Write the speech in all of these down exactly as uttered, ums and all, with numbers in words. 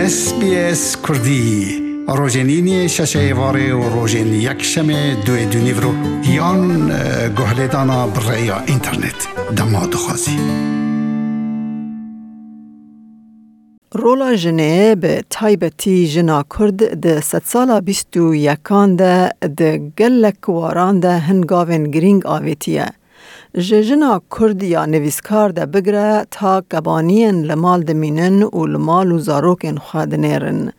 S B S Kurdî, rojên îniyê şeşê êvarê û rojên yekşemê duê dûnîvro yan, e, guhlêdana bi rêya înternet. Dema dixwazî. Rola jinê, bi taybetî jina Kurd, di sedsala bîst û yekan de di gelek waran de hin gavên girîng avêtiye. Ji jina Kurd ya nivîskar de bigire ta kebaniyên li mal dimînin û li mal û zarokên xwe dinêrin.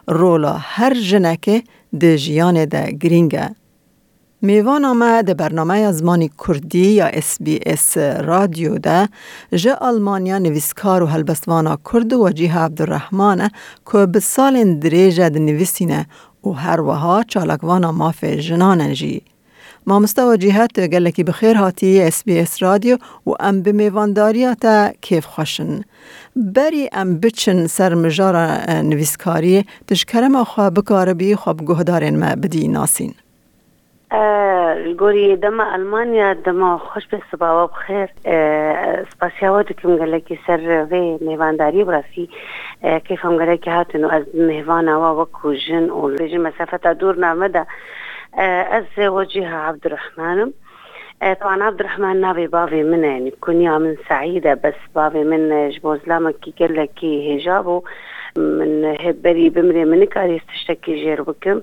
Rola her jinekê di jiyanê de girîng e. Mêvana me di bernameya zimanî Kurdî ya S B S Radyo de ji Almanya nivîskar û helbestvana Kurd Wecîha Abdurrahman e ku bi salên dirêj e dinivîsîne û her wiha çalakvana mafê jinan e jî. Mamoste Wecîha, tu gelekî bi xêr hatî S B S Radyo û em bi mêvandariya te kêfxweş in. Berî em biçin ser mijara, e, nivîskariyê, tu ji kerema xwe bikaribî xwe bi guhdarên me bidî nasîn. E, li gorî dema Almanya, dema xweş be, sibawa bi xêr. E, spasiya we dikim gelekî ser vê mêvandariyê, bi rastî, e, kêfa min gelekî hatin û ez mêvana we wekû jin û li jin mesafeta dûr name de, e, ez Wecîha Abdurrahman im. E, Teban Abdurrahman navê bavê min e, yanî kunya min Seîd e, bes bavê min, e, ji bo zilamekî gelekî hêja bû. Min hê berî bimrê min nikarî ez tiştekî jêr bikim.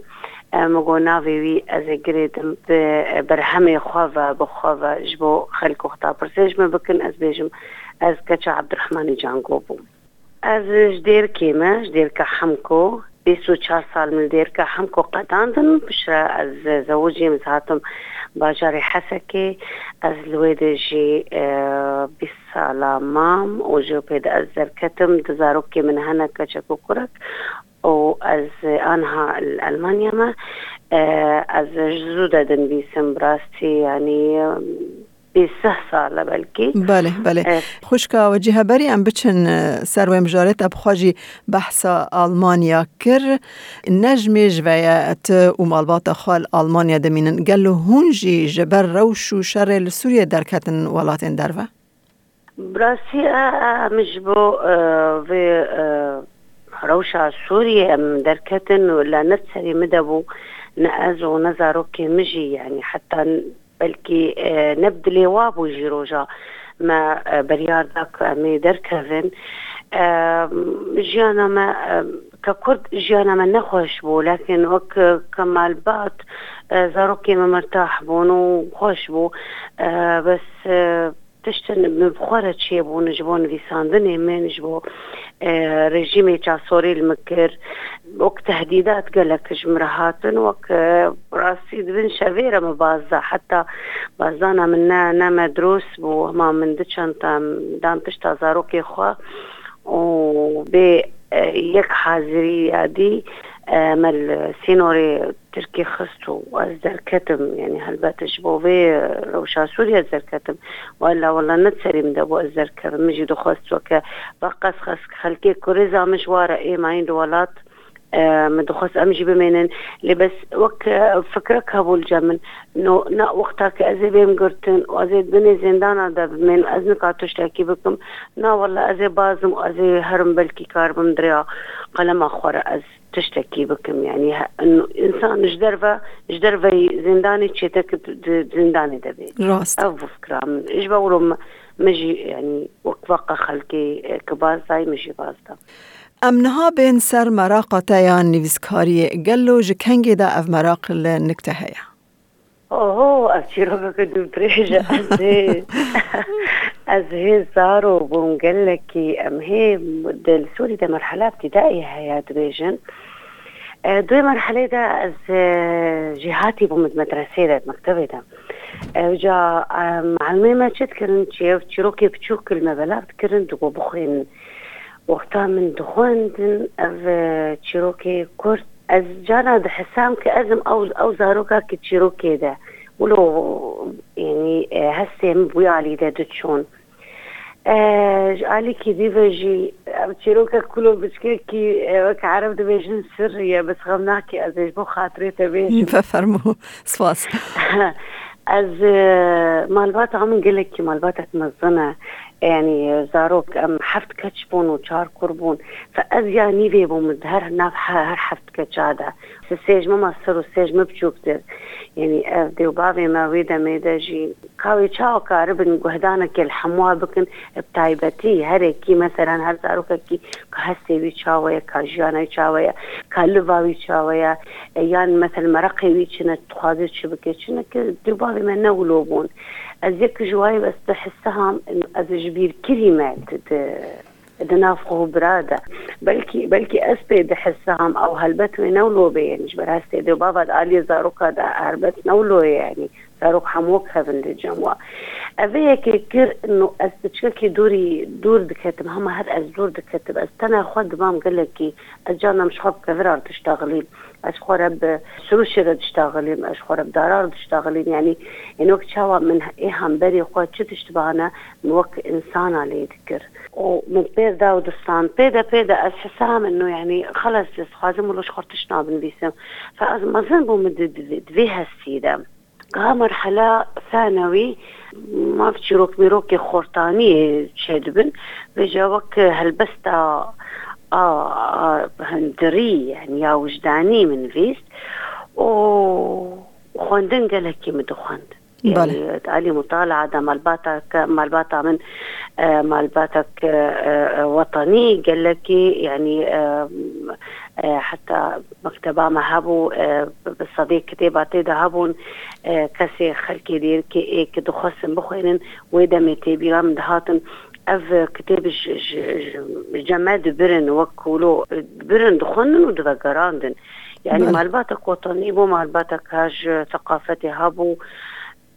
E, min got navê wî ez ê girêdim bi berhemê xwe ve, bi xwe ve ji bo xelk wexta pirsê ji min bikin, ez bêjim ez keça Abdurrahmanê Cango bûm. Ez ji Dêrikê me, ji Dêrika Hemko, bîst û çar sal min li Dêrika Hemko qedandin. Piştre ez zewicîm, ez hatim bajarê Hesekê. Ez li wê de jî, e, bîst sala mam û ji pê de ez derketim. Du zarokê min hene, keçek û kurek. û ez aniha li Elmanya me. E, ez ji zû de dinivîsim, bi rastî, yanî, bîst sal e belkî. Belê, belê. E, Xwişka Wecîha, berî em biçin, e, ser wê mijarê, te bi xwe jî behsa Almanya kir. Ne ji mêj ve ye tu û malbata xwe li Almanya dimînin. Gelo hûn jî ji ber rewş û şerê li Sûriyê derketin welatên derve? Bi rastî, e, e, min ji bo, e, vê, e, rewşa Sûriyê em derketin û le ne serê min de bû, ne ez û ne zarokê min jî, yanî heta n-, belkî, e, ne bi dilê wa bû jî roja me, e, biryar da ku em ê derkevin. E, jiyana me, e, ke Kurd jiyana me nexweş bû, lakin wek, e, ke malbat, e, zarokê me mirtah bûn û xweş bû. E, bes, e, Tiştin min bi xwe re çêbûn ji bo nivîsandinê min, ji bo, e, rejîmê çasorî li min kir. Wek tehdîdat gelek ji min re hatin, wek, e, rastî di bin şevê re min baz da. Heta bazdana min ne, ne me dirust bû, hema min du çanta dan pişta zarokê xwe û bê, e, yek hazirî ya dî, e, me li sînorê Tirkî xist û ez derketim, yanî helbet ji bo vê rewşa Sûriyê ez derketim. Wela, wela ne serê min de bû ez derkevim. Min jî dixwest weke veqas xes-, xelkê kurê za min ji wa re ê mayîn di welat, e, min dixwest em jî bimênin. Lê bes wek, e, fikrek hebû li cem min. No, na wexta ke ez ê bêm girtin û ez ê di binê zindana de bimênim, ez nika tiştekî bikim. Na wela ez ê bazim û ez ê herim, belkî karibim di rêya qelema xwe re ez tiştekî bikim. Yanî he-, in-, însan ji derve, ji derveyî zindanê çêtir ki di, di zindanê de bê. Rast. Ev bû fikra min. Ji ber wilo me, me jî, yanî wek veqa xelkê, e, ki baz dayî, min jî baz da. Em niha bên ser meraqa te ya nivîskariyê. Gelo ji kengê de ev meraq li nik te heye? Oho, ev çîrokeke dûrdirêj e. Ez hê, ez hê zaro bûm gelekî, em hê de li Sûrî de merhela ibtîdaî heye dibêjin. E, di wê merhelê de ez, e, jêhatî bûm di medresê de, di mektebê de. Ew ca, e, mealimê me çi dikirin, çi ev çîrokê biçûk li me belav dikirin, digot bixwînin. Wexta min dixwendin ev, e, çîrokê kurt, ez cara dihisam ki ez im ew, ew zaroka ki çîrokê de. Wilo, yanî, e, hestê min bi wî alî de diçûn. E, ji alîkî dî ve jî ev çîroka kulo biçkekî, e, wek ereb dibêjin sirrî ye, bes xem nake ez ê ji bo xatirê te bêjim. Bifermo, spas. Ez, e, malbata min gelekî malbatek mezin e. Yanî zarok, em heft keç bûn û çar kur bûn. Fe ez ya nîvê bûm di her nav he-, her heft keça de. Sisê ji min mestir û sê ji min biçûktir. Yanî ev dê û bavê me wê demê de jî ka wê çawa karibin guhdanekê li hemû bikin, bi taybetî herekî, meselen her zarokekî ka hestê wî çawa ye, ka jiyana wî çawa ye, ka liva wî çawa ye, e, yan meselen mereqê wî çi ne, dixwaze çi bike, çi neke, dê û bavê me ne wilo bûn. Ez yek ji wayê bes dihesam, ez ji bîrkirî me di, di, di nav xwe û bira de. Belkî, belkî ez pê dihesam, ew helbet wê ne wilo bê, yanî ji ber hestê dê û bava di aliyê zaroka de helbet ne wilo ye, yanî zarok hemû kevin li cem wa. Ev ê yekê kir, no ez piçkekî dûrî, dûr diketim, hema her ez dûr diketim. Ez tena xwe dibam gelekî, ez canem ji xwe bi kevira re diştaxilîm. Ez xwe re bi sirûşê re diştaxilîm, ez xwe re bi dara re diştaxilîm. Yanî, ên wek çawa min ê hemberê xwe çi tişt bihane, min wek insana lê dikir. Û min pêr da û distan. Pê de, pê de ez hisa min nû, yanî, xelas, ez dixwazim wilo ji xwe tişt nabinivîsim. Fe ez mezin bûm di, di, di vê hestî de. Ka merhela thanewî, mav çîrok mîrokê xortaniyê çêdibin. Vêca wek helbesta a, a hundirî, yanî ya wijdanî min nivîst û xwendin gelekî min dixwend. Belê. Yanî, di alî mutalaa de malbata ke, malbata min, e, malbatek, e, e, wetanî gelekî, yanî, e, e, heta mekteba me hebû, e, bi sedê kitêba tê de hebûn, e, kesê xelkê dêrikê ê ki dixwestin bixwînin, wê demê tê bîra min dihatin. Ev kitêb ji, ji, ji, ji me dibirin, wek wilo dibirin, dixwendin û divegerandin. Yanî Belê. Malbatek wetanî bû, malbatek ka ji seqafetê hebû.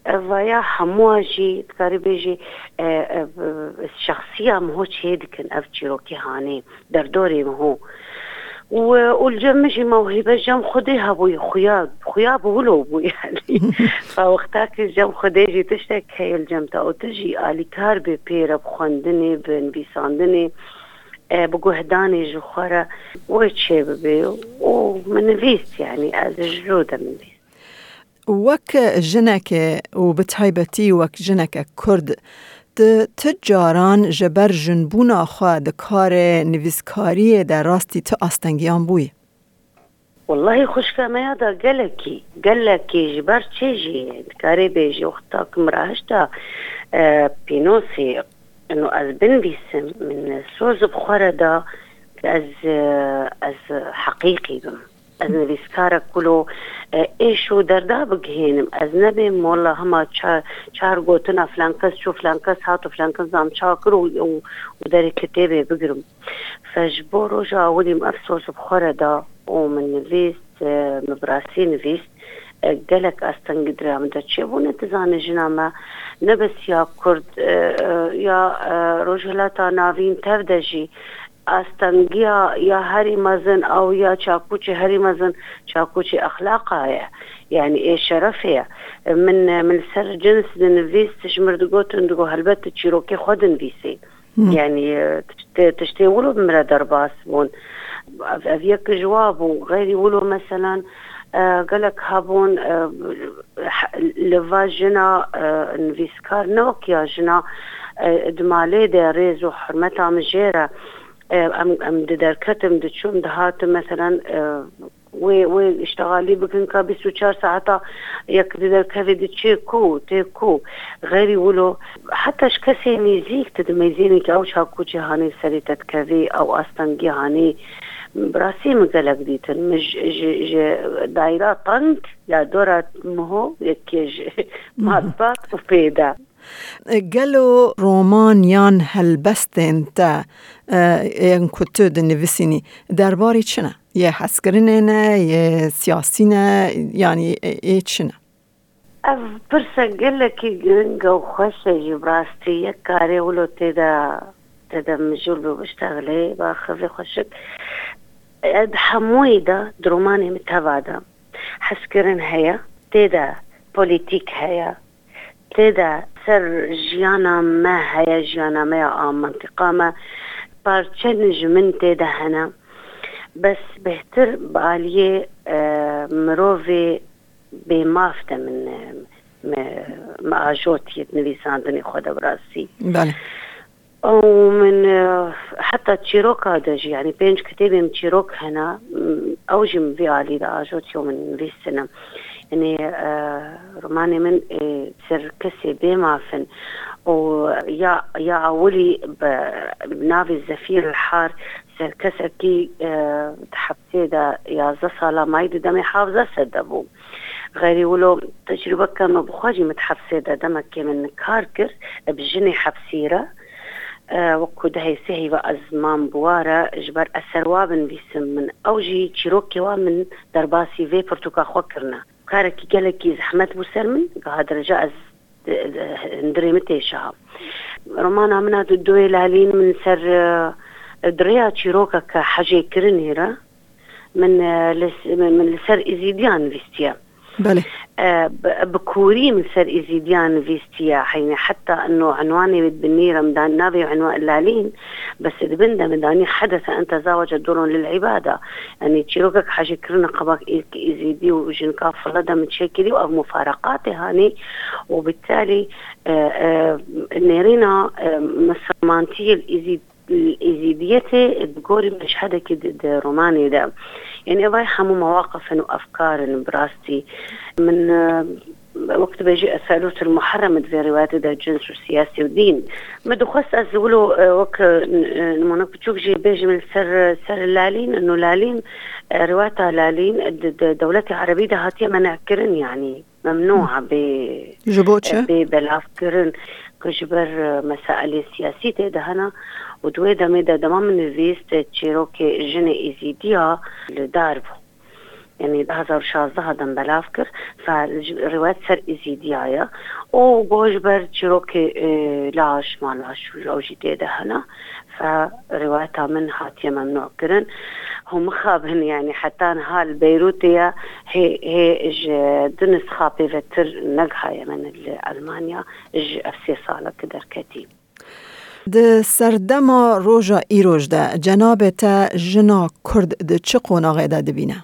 Ev vaya hemûa jî dikarî bêjî, e, e, şexsiya min ho çê dikin ev çîrokê hanê, derdorê min ho. Û, û li cem min jî mewhîbe cem Xwedê hebûyî, xuya, xuya bi wilo bû yanî. Fa wexta ki cem Xwedê jî tiştek heye li cem te û tu jî alîkar bê pê re bi xwendinê, bi nivîsandinê, e, bi guhdanê ji xwe re wê çê bibê û min nivîst yanî ez ji cû de min nivîst. Wek jineke û bi taybetî wek jineke Kurd, tu, tu caran ji ber jinbûna xwe di karê nivîskariyê de rastî tu astengiyan bûyî? Wellahî xwişka me ya da gelekî, gelekî ji ber çê jî dikarê bêjî wexta ku min rahişta, e, pînosê, ino ez binivîsim, min soz bi xwe re da, ez, e, ez heqîqî bim. Ez nivîskarek wilo, e, êş û derda bigihênim. Ez nebêm molla hema ça-, çar gotina filan kes çû, filan kes hat û filan kes zam ça kir û, û, û derê kitêbê bigirim. Fe ji bo roja awilî min ev soz bi xwe re da û min nivîst, e, min bi rastî nivîst. E, gelek astengî di rêya min de çêbûne, tu zanî jina me ne bes ya Kurd, e, e, ya, e, Rojhilata Navîn tev de jî astengiya ya herî mezin ew ya çakûçê herî mezin çakûçê exlaqa ye. Yanî ê şerefê ye. Min, min li ser cins dinivîst, ji mir digotin, digot, helbet tu çîrokê xwe dinivîsî. Hı. Yanî, e, tiştê, tiştê wilo bi min re derbas bûn. Ev, ev yek ji wa bû. Xeyrî wilo, meselan, e, gelek hebûn, e, he-, li va jina, e, nivîskar ne wek ya jina, e, di malê de rêz û hurmeta min jê re, e, em, em diderketim, diçûm, dihatim, meselan, e, wê, wê îştixalî bikin ka bîst û çar saeta yek diderkevê diçê ku, tê ku. Xeyrî wilo, heta ji kesê nêzîk tu dimeyzênî ki ew çakûçê hanî serê te dikevî, ew astengî hanî. Bi rastî min gelek dîtin. Min ji, ji, ji dayra teng ya dora miho yekê ji malbat û pê de. Gelo roman yan helbestên te, e, yên ku tu dinivîsînî, derbarê çi ne? Yê hezkirinê ne, yê siyasî ne, yanî, e, ê çi ne? Ev pirse gelekî giring e û xweş e jî bi rastî. Yek karê wilo tê de, tê de mijûl bû biştexilê, baxivê xweşik. E, di hemûyê de, di romanê min teva de hezkirin heye, tê de polîtîk heye, tê de ser jiyana me heye, jiyana me ya a mentiqa me, parçen ji min tê de hene. Bes bêhtir bi aliyê, e, mirovê bêmaf de min, e, me, me ajotiye di nivîsandinê xwe de bi rastî. Belê. Ew min, e, heta çîroka de jî, yanî pênc kitêbê min çîrok hene, m, ew jî min vî alî de ajotiyo min nivîsine. Yanî, e, romanê min, e, ser kesê bê mafin û ya, ya ewilî bi navê Zefîr el Har ser kesekî, e, di hepsê de yazdeh sala mayî di demê hevdeh sed de bû. Xeyrî wilo tecrûbeke me bi xwe jî min di hepsê de demekê min kar kir, bi jinê hepsî re. E, wekî dehê sê heyva ez mam bi wa re ji ber eser wa binivîsim min. Ew jî çîrokê wa min derbasî vê pirtûka xwe kirine. Karekî gelekî zehmet bû ser min, giha dereca ez, e, e, hundirê min tê şaha. Romana min a du-, Duê Lalîn min ser, e, di rêya çîrokeke hejêkirinê re min, e, li s-, min, min li ser Îzîdiyan nivîstiye. Belê. E, bi, bi kûrî min ser Îzîdiyan nivîstiye. Heynî heta ino unwanê wê di binî re min dan-, navê unwan Lalîn, bes di bin de min danî hedese ente zawace durun lil îbada. Yanî çîrokek hejêkirina qebak îlk Îzîdî û jinika file de min çêkirî û ev mufareqatê hanî û bitalî, e, e, nêrîna, e, misilmantiyê li Îzîd-, Îzîdiyetê di gorî meşhedekî di, di romanê de. Yanî ev hemû mewaqif in û efkar in bi rastî. Min, e, wek dibêjî eselut el muherrem di vê rîwayetê de cins û siyasî û dîn. Me dixwest ez wilo, e, wek, e, n-, e, nimûnek biçûk jî bêjim li ser, ser Lalîn, ino Lalîn, e, rîwayeta Lalîn, e, di, di dewletê erebî de hatiye men'kirin, yanî memnûa bê, Ji bo çi? bê belavkirin, ku ji ber, e, mesailê siyasî tê de hene û di wê demê de dema min nivîst, e, çîrokê jinê Îzîdiya li dar bû. Yanî du hezar û şazdeh de min belav kir, fa ji, rîwayet ser Îzîdiya ye. Û got ji ber çîrokê, e, laş, ma laş û ew jî tê de hene. Fe rîwayeta min hatiye memnû kirin. Hûn mixabin, yanî heta niha li Beyrûtê ye, hê, hê ji du nisxa pêvetir negihaye min li Elmanya, ji ev sê sala ki derketî. Di serdema roja îroj de cenabê te jina Kurd di çi qonaxê de dibîne?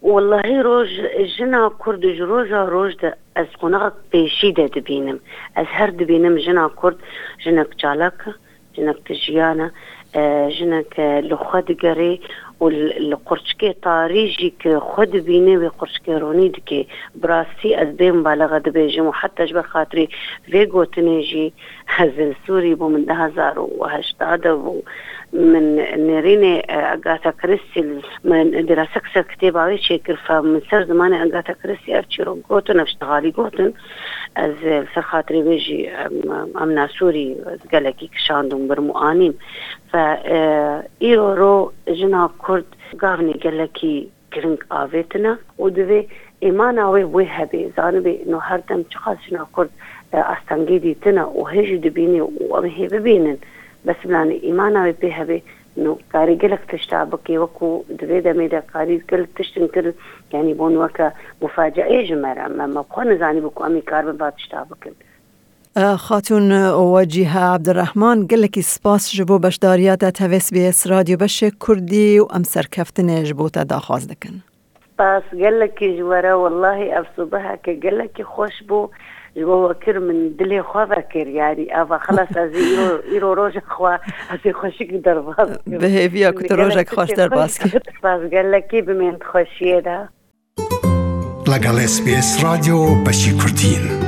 Wellahî roj, jina Kurd ji roja roj de ez qonaxek pêşî de dibînim. Ez her dibînim jina Kurd jinek çalak e, jinek tijiyane, e, jinek, e, li xwe digerê û li, li qurçikê tarî jî ki xwe dibîne wê qurçikê ronî dike. Bi rastî ez bê mubalexe dibêjim û heta ji ber xatirî vê gotinê jî ez li Sûrî bû min du hezar û heşt de bû. Min nêrînê, e, Agatha Christie, min dirasek ser kitêba wê çêkir, fe min ser zimanê Agatha Christie ev çîrok gotin, ev ştixalî gotin. Ez, e, li ser xatirê wê jî, em, em nasûrî ez gelekî kişand û birim û anîm. Fe, e, îro ro jina Kurd gavnê gelekî giring avêtine û divê îmana wê wê hebê. Zanibê, no her dem çiqas jina Kurd, e, astengê dîtine û hê jî dibînê û em hê bibînin. Bes bilanê îmana wê pê hebê, no karî gelek tişta bikê, wekû di vê demê de karî gelek tiştin kirin, yanî bûn weke mufaceeyê ji me re. Me, me xwe nizanîbû ku em ê karibin va tişta bikin. Xatûn Wecîhe Ebdirehman, gelekî spas ji bo beşdariya te tevê S B S Radyo Beşê Kurdî û em serkeftinê ji bo te daxwaz dikin. Spas gelekî ji we re, wellahî ev sibeheke gelekî xweş bû. Ji bo we kir min dilê xwe vekir, yanî eva xilas ez ê îro, îro roja xwe ez ê xweşik derbas kim. Bi hêviya ku tu rojek xweş derbas kî. Spas gelekî, bimên di xweşiyê de. لەگەڵ S B S رادیۆ بەشی کوردین.